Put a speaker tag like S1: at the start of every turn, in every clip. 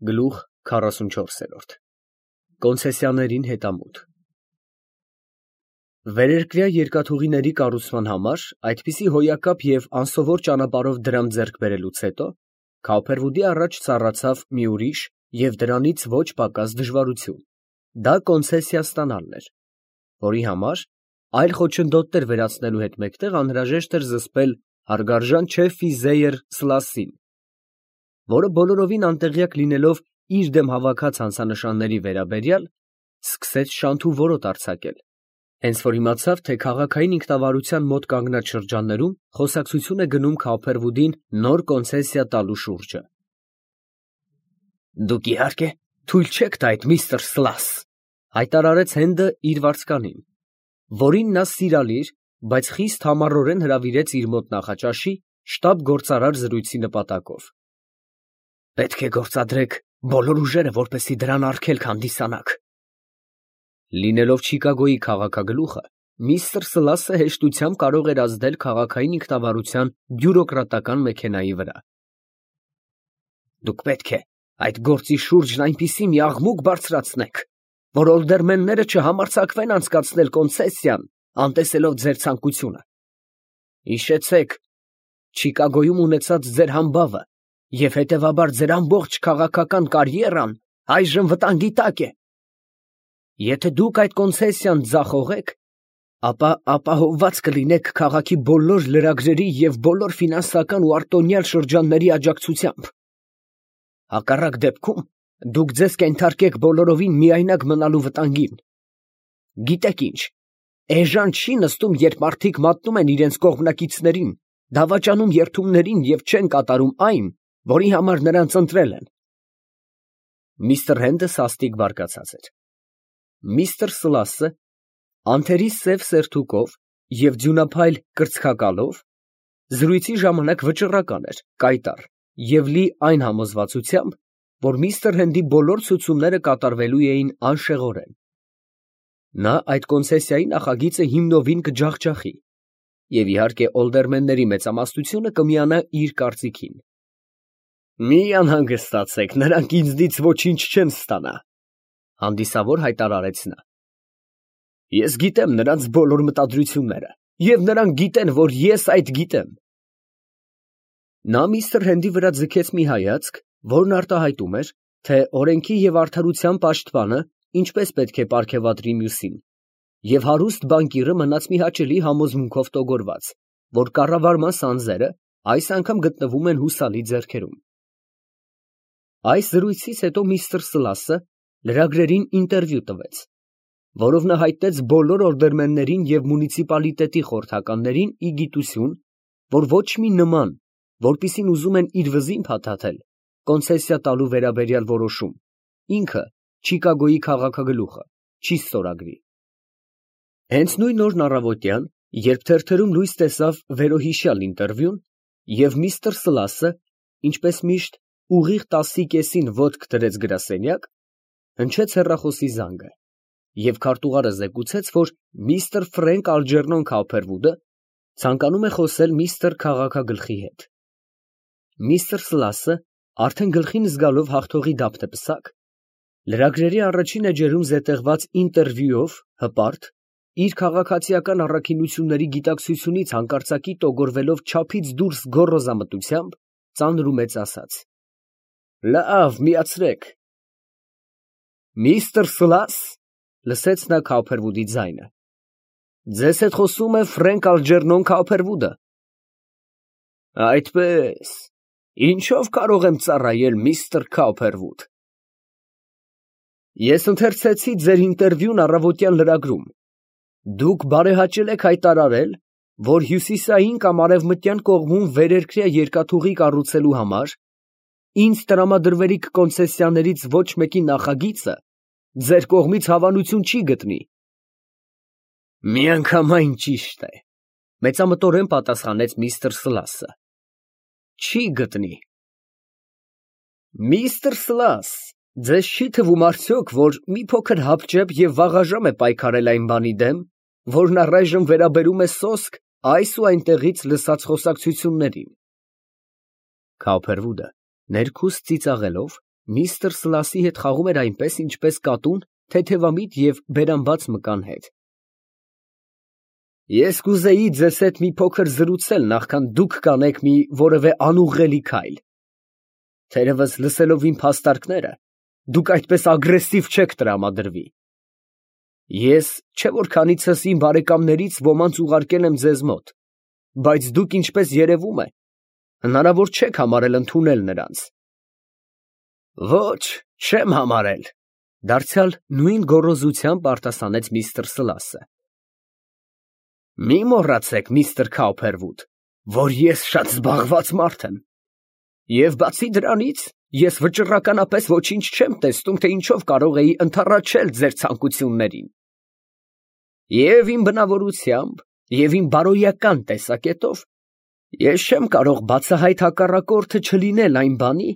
S1: Գլուխ 44 Կոնցեսիաներին հետամուտ Վերերկրյա երկաթուղիների կառուցման համար այդպիսի հոյակապ և անսովոր ճանապարհով դրամ ձեռք բերելուց հետո Քավփերվուդի առաջ ծառացավ մի ուրիշ և դրանից ոչ պակաս դժվարություն. դա կոնցեսիա ստանալն էր, որի համար այլ խոչընդոտներ վերացնելու հետ մեկտեղ անհրաժեշտ էր զսպել հարգարժան Չեֆի Զեյեր Սլասսին, որը բոլորովին անտեղյակ լինելով իր դեմ հավաքած հանցանշանների վերաբերյալ, սկսեց շանթ ու որոտ արձակել, հենց որ իմացավ, թե քաղաքային ինքնավարության մոտ կանգնած շրջաններում խոսակցություն է գնում Քավփերվուդին նոր կոնցեսիա տալու շուրջը։ «Դուք իհարկե թույլ չեք տա այդ միստր Սլաս», հայտարարեց Հենդը իր վարձկանին, որին նա սիրալիր, բայց խիստ համառորեն հրավիրեց իր մոտ նախաճաշի շտաբ֊գործարար զրույցի նպատակով։ «Պետք է գործադրեք բոլոր ուժերը, որպեսզի դրան արգելք հանդիսանաք»։ Լինելով Չիկագոյի քաղաքագլուխը, միստր Սլասը հեշտությամբ կարող էր ազդել քաղաքային ինքնավարության բյուրոկրատական մեքենայի վրա։ «Դուք պետք է այդ գործի շուրջն այնպիսի մի աղմուկ բարձրացնեք, որ օլդերմենները չհամարձակվեն անցկացնել կոնցեսիան, անտեսելով ձեր ցանկությունը։ Հիշեցեք Չիկագոյում ունեցած ձեր համբավը և հետևաբար ձեր ամբողջ քաղաքական կարիերան այժմ վտանգի տակ է։ Եթե դուք այդ կոնցեսիան ձախողեք, ապա ապահովված կլինեք քաղաքի բոլոր լրագրերի և բոլոր ֆինանսական ու արտոնյալ շրջանների աջակցությամբ։ Հակառակ դեպքում դուք ձեզ կենթարկեք բոլորովին միայնակ մնալու վտանգին։ Գիտեք ինչ, էժան չի նստում, երբ մարդիկ մատնում են իրենց կողմնակիցներին, դավաճանում երդումներին և չեն կատարում այն, որի համար նրանց ընտրել են։ Միստր Հենդը սաստիկ բարկացած էր։ Միստր Սլասը անթերի սև սերթուկով և ձյունափայլ կրծքակալով զրույցի ժամանակ վճռական էր, կայտառ և լի այն համոզվածությամբ, որ միստր Հենդի բոլոր ցուցումները կատարվելու էին անշեղորեն։ Նա այդ կոնցեսիայի նախագիծը հիմնովին կջախջախի և իհարկե օլդերմենների մեծամասնությունը կմիանա իր կարծիքին։ «Մի անհանգստացեք, նրանք ինձնից ոչինչ չեն ստանա», հանդիսավոր հայտարարեց նա։ «Ես գիտեմ նրանց բոլոր մտադրությունները, և նրանք գիտեն, որ ես այդ գիտեմ»։ Նա միստր Հենդի վրա ձգեց մի հայացք, որն արտահայտում էր, թե օրենքի և արդարության պաշտպանը ինչպես պետք է պարգևատրի մյուսին, և հարուստ բանկիրը մնաց մի հաճելի համոզմունքով տոգորված, որ կառավարման սանձերը այս անգամ գտնվում են հուսալի ձեռքերում։ Այս զրույցից հետո միստր Սլասը լրագրերին ինտերվյու տվեց, որով նա հայտնեց բոլոր օլդերմեններին և մունիցիպալիտետի խորհրդականներին ի գիտություն, որ ոչ մի նման, որպիսին ուզում են իր վզին փաթաթել, կոնցեսիա տալու վերաբերյալ որոշում, ինքը Չիկագոյի քաղաքագլուխը չի ստորագրի։ Հենց նույն օրն առավոտյան, երբ թերթերում լույս տեսավ վերոհիշյալ ինտերվյուն, և միստր Սլասը, ինչպես միշտ, ուղիղ 10:30 ոտք դրեց գրասենյակ, հնչեց հեռախոսի զանգը, և քարտուղարը զեկուցեց, որ միստր Ֆրենկ Ալջերնոն Քավփերվուդը ցանկանում է խոսել միստր քաղաքագլխի հետ։ Միստր Սլասը, արդեն գլխին զգալով հաղթողի դափնեպսակ, լրագրերի առաջին էջերում զետեղված ինտերվյուով հպարտ, իր քաղաքացիական առաքինությունների գիտակցությունից հանկարծակի տոգորվելով չափից դուրս գոռոզամտությամբ, ծանր ու մեծ ասաց. «Լավ, միացրեք»։ «Միստր Սլաս», լսեց նա Քավփերվուդի ձայնը, «ձեզ հետ խոսում է Ֆրենկ Ալջերնոն Քավփերվուդը»։ «Այդպե՞ս, ինչո՞վ կարող եմ ծառայել, միստր Քավփերվուդ»։ «Ես ընթերցեցի ձեր ինտերվյուն առավոտյան լրագրում։ Դուք բարեհաճել եք հայտարարել, որ հյուսիսային կամ արևմտյան կողմում վերերկրյա երկաթուղի կառուցելու համար ինձ տրամադրվելիք կոնցեսիաներից ոչ մեկի նախագիծը ձեր կողմից հավանություն չի գտնի»։ «Միանգամայն ճիշտ է», մեծամտորեն պատասխանեց միստր Սլասը։ «Չի գտնի»։ «Միստր Սլաս, ձեզ չի թվում արդյոք, որ մի փոքր հապճեպ և վաղաժամ է պայքարել այն բանի դեմ, որն առայժմ վերաբերում է սոսկ այս ու այնտեղից լսած խոսակցություններին»։ Քավփերվուդը ներքուստ ծիծաղելով Միստր Սլասի հետ խաղում էր այնպես, ինչպես կատուն թեթևամիտ և բերանբաց մկան հետ։ Ես կուզեի ձեզ հետ մի փոքր զրուցել, նախքան դուք կանեք մի որևէ անուղղելի քայլ։ Թերևս լսելով իմ փաստարկները, դուք այդպես ագրեսիվ չեք տրամադրվի։ Ես չէ որ քանիցս իմ բարեկամներից ոմանց ուղարկել եմ ձեզ մոտ, բայց դուք, ինչպես երևում է, հնարավոր չեք համարել ընդունել նրանց։ Ոչ, չեմ համարել, դարձյալ նույն գոռոզությամբ արտասանեց միստր Սլասը։ Մի մոռացեք, միստր Քաուփերվուդ, որ ես շատ զբաղված մարդ եմ, և բացի դրանից, ես վճռականապես ոչինչ չեմ տեսնում, թե ինչով կարող էի ընդառաջել ձեր ցանկություններին։ Եվ իմ բնավորությամբ, և իմ բարոյական տեսակետով, ես չեմ կարող բացահայտ հակառակորդը չլինել այն բանի,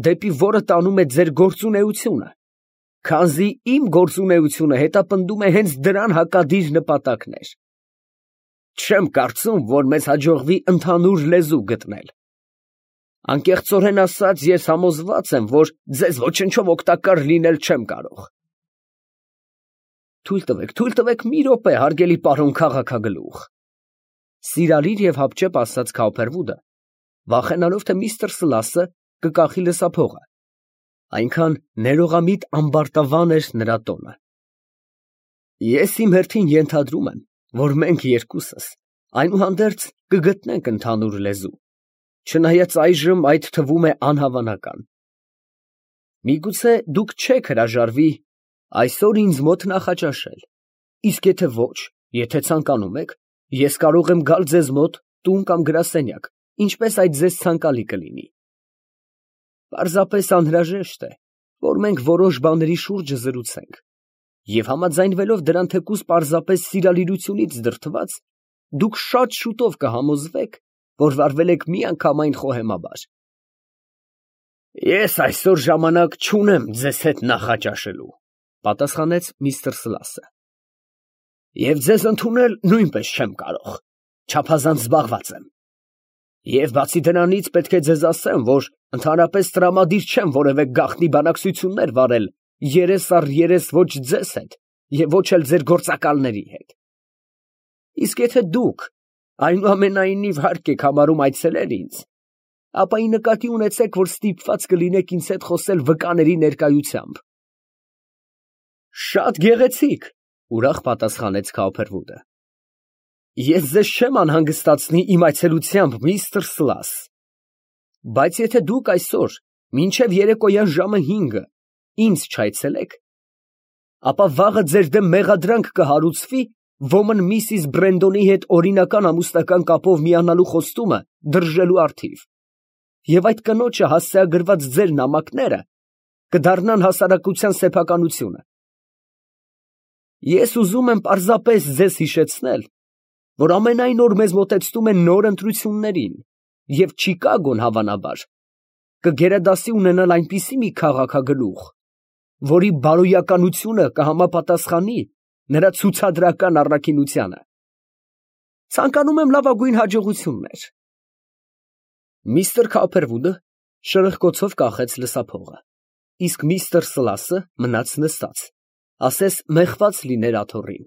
S1: դեպի որը տանում է ձեր գործունեությունը, քանզի իմ գործունեությունը հետապնդում է հենց դրան հակադիր նպատակներ։ Չեմ կարծում, որ մեզ հաջողվի ընդհանուր լեզու գտնել։ Անկեղծորեն ասած, ես համոզված եմ, որ ձեզ ոչնչով օգտակար լինել չեմ կարող։ Թույլ տվեք մի րոպե, հարգելի պարոն քաղաքագլուխ։ Սիրալիր և հապճեպ ասաց Քաուփերվուդը, վախենալով, թե միստր Սլասը կկախի լսափողը, այնքան ներողամիտ ամբարտավան էր նրա տոնը։ Ես իմ հերթին ենթադրում եմ, որ մենք երկուսս այնուհանդերձ կգտնենք ընդհանուր լեզու, չնայած այժմ այդ թվում է անհավանական։ Միգուցե դուք չեք հրաժարվի այսօր ինձ մոտ նախաճաշել, իսկ եթե ոչ, եթե ցանկանում եք, ես կարող եմ գալ ձեզ մոտ տուն կամ գրասենյակ, ինչպես այդ ձեզ ցանկալի կլինի։ Պարզապես անհրաժեշտ է, որ մենք որոշ բաների շուրջը զրուցենք, և համաձայնվելով դրան թեկուզ պարզապես սիրալիրությունից դրդված, դուք շատ շուտով կհամոզվեք, որ վարվել եք միանգամայն խոհեմաբար։ Ես այսօր ժամանակ չունեմ ձեզ հետ նախաճաշելու, պատասխանեց միստր Սլասը։ Եվ ձեզ ընդունել նույնպես չեմ կարող, չափազանց զբաղված եմ։ Եվ բացի դրանից պետք է ձեզ ասեմ, որ ընդհանրապես տրամադիր չեմ որևէ գաղտնի բանակցություններ վարել երես առ երես ոչ ձեզ հետ և ոչ էլ ձեր գործակալների հետ։ Իսկ եթե դուք այնուամենայնիվ հարկ եք համարում այցելել ինձ, ապա ի նկատի ունեցեք, որ ստիպված կլինեք ինձ հետ խոսել վկաների ներկայությամբ։ Շատ գեղեցիկ, ուրախ պատասխանեց Քաուփերվուդը։ Ես ձեզ չեմ անհանգստացնի իմ այցելությամբ, միստր Սլաս, բայց եթե դուք այսօր մինչև երեկոյան ժամը 5-ը ինձ չայցելեք, ապա վաղը ձեր դեմ մեղադրանք կհարուցվի ոմն Միսիս Բրենդոնի հետ օրինական ամուսնական կապով միանալու խոստումը դրժելու առթիվ, և այդ կնոջը հասցեագրված ձեր նամակները կդառնան հասարակության սեփականությունը։ Ես ուզում եմ պարզապես ձեզ հիշեցնել, որ ամենայն օր մեզ մոտեցնում են նոր ընտրություններին, և Չիկագոն, հավանաբար, կգերադասի ունենալ այնպիսի մի քաղաքագլուխ, որի բարոյականությունը կհամապատասխանի նրա ցուցադրական առաքինությանը։ Ցանկանում եմ լավագույն հաջողություններ։ Միստր Քաուփերվուդը շրխկոցով կախեց լսափողը, իսկ միստր Սլասը մնաց նստած, ասես մեղված լիներ աթոռին։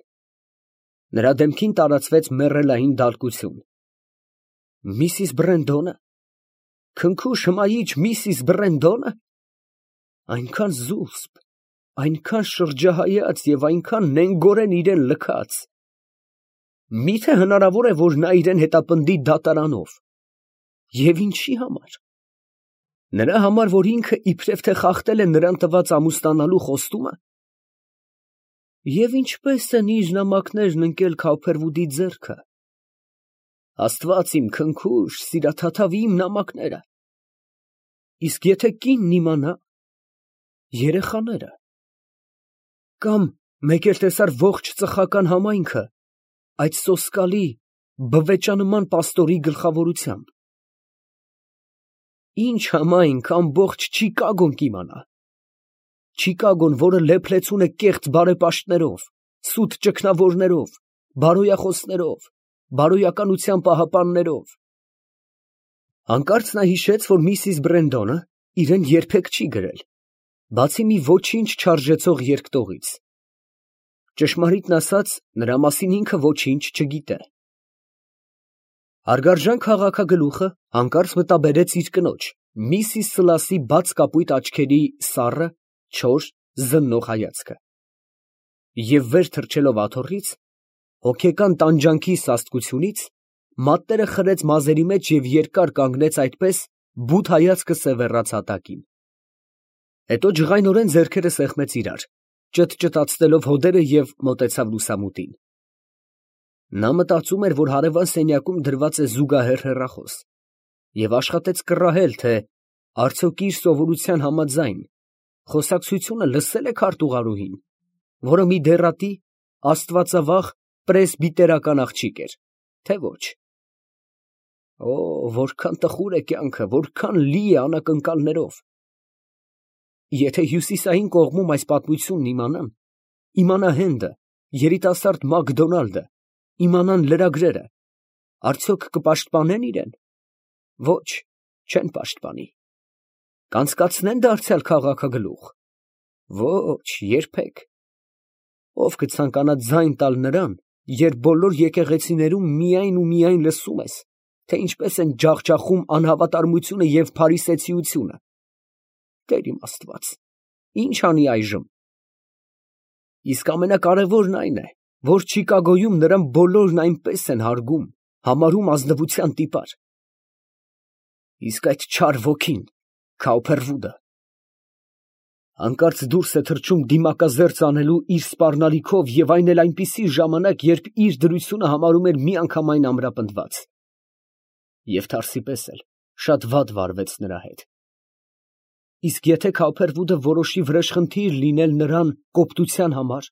S1: Նրա դեմքին տարածվեց մեռելային դալկություն։ Միսիս Բրենդոնը, քնքուշ հմայիչ Միսիս Բրենդոնը, այնքան զուսպ, այնքան շրջահայաց և այնքան նենգորեն իրան լքած։ Միթե հնարավոր է, որ նա իրան հետապնդի դատարանով, և ինչի համար։ Նրա համար, որ ինքը իբրև թե խախտել է նրան տված ամուսնանալու խոստումը։ Եվ ինչպես են իր նամակներն ընկել Քաուփերվուդի ձեռքը։ Աստված իմ, քնքուշ, սիրաթաթավ իմ նամակները։ Իսկ եթե կինն իմանա, երեխաները, կամ մեկ էլ տեսար ողջ ծխական համայնքը այդ սոսկալի, բվեճանման պաստորի գլխավորությամբ, ինչ համայնք ամբողջ Չիկագոն կիմանա։ Չիկագոն, որը լեփլեցուն է կեղծ բարեպաշտներով, սուտ ճգնավորներով, բարոյախոսներով, բարոյականության պահապաններով։ Հանկարծ նա հիշեց, որ Միսիս Բրենդոնը իրան երբեք չի գրել բացի մի ոչինչ չարժեցող երկտողից։ Ճշմարիտն ասած, նրա մասին ինքը ոչինչ չգիտե։ Հարգարժան քաղաքագլուխը հանկարծ մտաբերեց իր կնոջ, Միսիս Սլասի բաց կապույտ աչքերի սառը, չոր, զննող հայացքը, և վեր թռչելով աթոռից, հոգեկան տանջանքի սաստկությունից, մատները խրեց մազերի մեջ և երկար կանգնեց այդպես, բութ հայացքը սևեռաց հատակին։ Հետո ջղայնորեն ձեռքերը սեղմեց իրար, ճտճտացնելով հոդերը և մոտեցավ լուսամուտին։ Նա մտածում էր, որ հարևան սենյակում դրված է զուգահեռ հեռախոս, և աշխատեց կռահել, թե արդյոք իր սովորության համաձայն խոսակցությունը լսե՞լ է քարտուղարուհին, որը մի դեռատի, աստվածավախ պրեսբիտերական աղջիկ էր, թե ոչ։ Օ, որքան տխուր է կյանքը, որքան լի է անակնկալներով։ Եթե հյուսիսային կողմում այս պատմությունն իմանան, իմանա Հենդը, երիտասարդ Մակդոնալդը, իմանան լրագրերը, արդյոք կպաշտպանեն իրեն։ Ոչ, չեն պաշտպանի։ Կանցկացնեն դարձյալ քաղաքագլուխ։ Ոչ, երբեք։ Ով կցանկանա ձայն տալ նրան, երբ բոլոր եկեղեցիներում միայն ու միայն լսում ես, թե ինչպես են ջախջախում անհավատարմությունը և փարիսեցիությունը։ Տեր իմ Աստված, ի՞նչ անի այժմ։ Իսկ ամենակարևորն այն է, որ Չիկագոյում նրան բոլորն այնպես են հարգում, համարում ազնվության տիպար։ Իսկ այդ չար ոգին, Քաուփերվուդը, հանկարծ դուրս է թռչում դիմակազերծ անելու իր սպառնալիքով և այն էլ այնպիսի ժամանակ, երբ իր դրությունը համարում էր միանգամայն ամրապնդված։ Եվ թարսի պես էլ շատ վատ վարվեց նրա հետ։ Իսկ եթե Քաուփերվուդը որոշի վրեժխնդիր լինել նրան կոպտության համար,